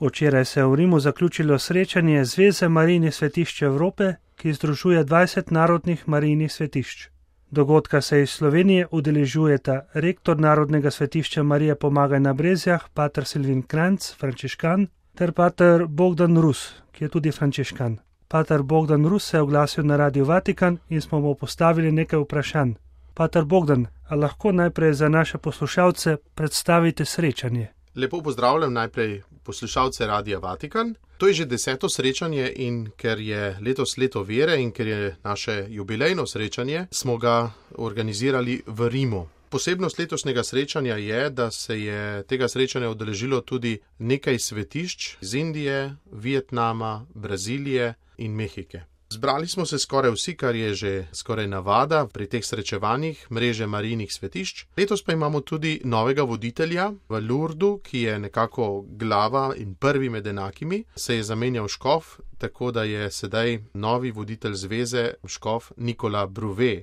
Včeraj se je v Rimu zaključilo srečanje Zveze Marijnih svetišč Evrope, ki združuje 20 narodnih marijnih svetišč. Dogodka se iz Slovenije udeležujeta rektor Narodnega svetišča Marije Pomagaj na Brezjah, pater Silvin Kranjc, frančiškan, ter pater Bogdan Rus, ki je tudi frančiškan. Pater Bogdan Rus se je oglasil na Radio Vatikan in smo mu postavili nekaj vprašanj. Pater Bogdan, a lahko najprej za naše poslušalce predstavite srečanje? Lepo pozdravljam najprej poslušalce Radia Vatikan. To je že 10. srečanje in ker je letos leto vere in ker je naše jubilejno srečanje, smo ga organizirali v Rimu. Posebnost letošnjega srečanja je, da se je tega srečanja udeležilo tudi nekaj svetišč iz Indije, Vietnama, Brazilije in Mehike. Zbrali smo se skoraj vsi, kar je že skoraj navada pri teh srečevanjih mreže marijnih svetišč. Letos pa imamo tudi novega voditelja v Lourdu, ki je nekako glava in prvi med enakimi. Se je zamenjal škof, tako da je sedaj novi voditelj zveze škof Nikola Bruve.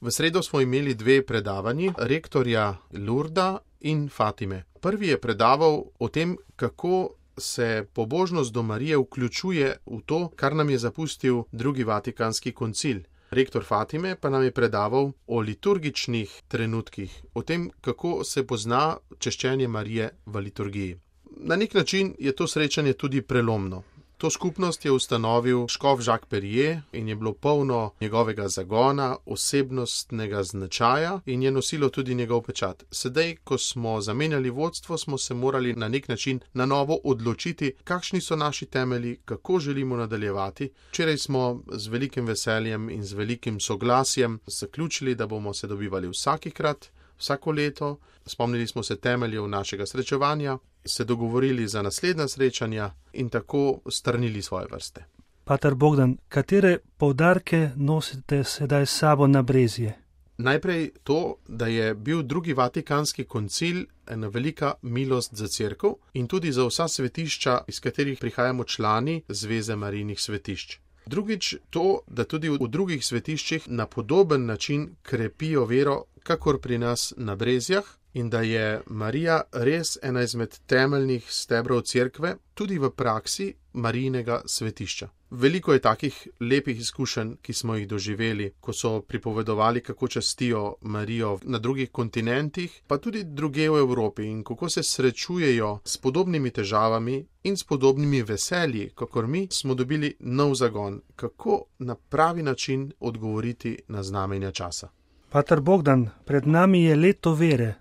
V sredo smo imeli 2 predavanji, rektorja Lourda in Fatime. Prvi je predaval o tem, kako se pobožnost do Marije vključuje v to, kar nam je zapustil drugi vatikanski koncil. Rektor Fatime pa nam je predaval o liturgičnih trenutkih, o tem, kako se pozna češčenje Marije v liturgiji. Na nek način je to srečanje tudi prelomno. To skupnost je ustanovil škof Jacques Perrier in je bilo polno njegovega zagona, osebnostnega značaja in je nosilo tudi njegov pečat. Sedaj, ko smo zamenjali vodstvo, smo se morali na nek način na novo odločiti, kakšni so naši temelji, kako želimo nadaljevati. Včeraj smo z velikim veseljem in z velikim soglasjem zaključili, da bomo se dobivali vsakikrat, vsako leto. Spomnili smo se temeljev našega srečevanja, se dogovorili za naslednja srečanja in tako strnili svoje vrste. Pater Bogdan, katere poudarke nosite sedaj s sabo na Brezje? Najprej to, da je bil drugi vatikanski koncil ena velika milost za cerkev in tudi za vsa svetišča, iz katerih prihajamo člani Zveze marijnih svetišč. Drugič to, da tudi v drugih svetiščih na podoben način krepijo vero, kakor pri nas na Brezjah, in da je Marija res ena izmed temeljnih stebrov cerkve, tudi v praksi Marijinega svetišča. Veliko je takih lepih izkušenj, ki smo jih doživeli, ko so pripovedovali, kako častijo Marijo na drugih kontinentih, pa tudi drugje v Evropi in kako se srečujejo s podobnimi težavami in s podobnimi veselji, kakor mi smo dobili nov zagon, kako na pravi način odgovoriti na znamenja časa. Pater Bogdan, pred nami je leto vere.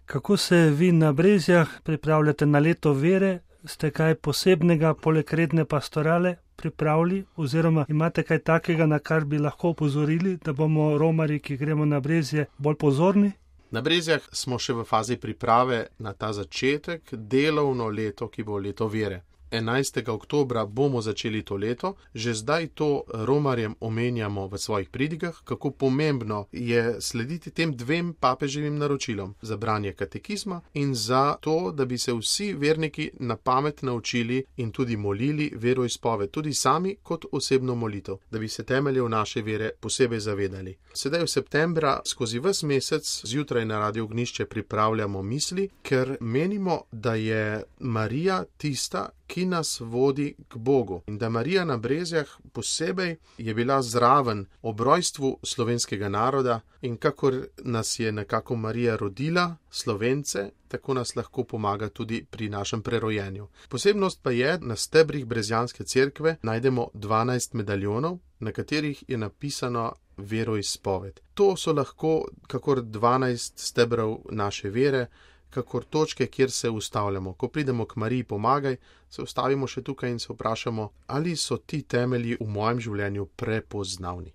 Kako se vi na Brezjah pripravljate na leto vere? Ste kaj posebnega poleg redne pastorale pripravili oziroma imate kaj takega, na kar bi lahko opozorili, da bomo romarji, ki gremo na Brezje, bolj pozorni? Na Brezjah smo še v fazi priprave na ta začetek, delovno leto, ki bo leto vere. 11. oktobra bomo začeli to leto, že zdaj to romarjem omenjamo v svojih pridigah, kako pomembno je slediti tem 2 papeževim naročilom za branje katekizma in za to, da bi se vsi verniki na pamet naučili in tudi molili veroizpoved, tudi sami kot osebno molitev, da bi se temeljev naše vere posebej zavedali. Sedaj v septembra skozi ves mesec zjutraj na Radio Ognjišče pripravljamo misli, ker menimo, da je Marija tista, ki nas vodi k Bogu. In da Marija na Brezjah posebej je bila zraven ob rojstvu slovenskega naroda in kakor nas je nekako Marija rodila, Slovence, tako nas lahko pomaga tudi pri našem prerojenju. Posebnost pa je, na stebrih Brezjanske cerkve najdemo 12 medaljonov, na katerih je napisano veroizpoved. To so lahko kakor 12 stebrov naše vere, kakor točke, kjer se ustavljamo. Ko pridemo k Mariji Pomagaj, se ustavimo še tukaj in se vprašamo, ali so ti temelji v mojem življenju prepoznavni.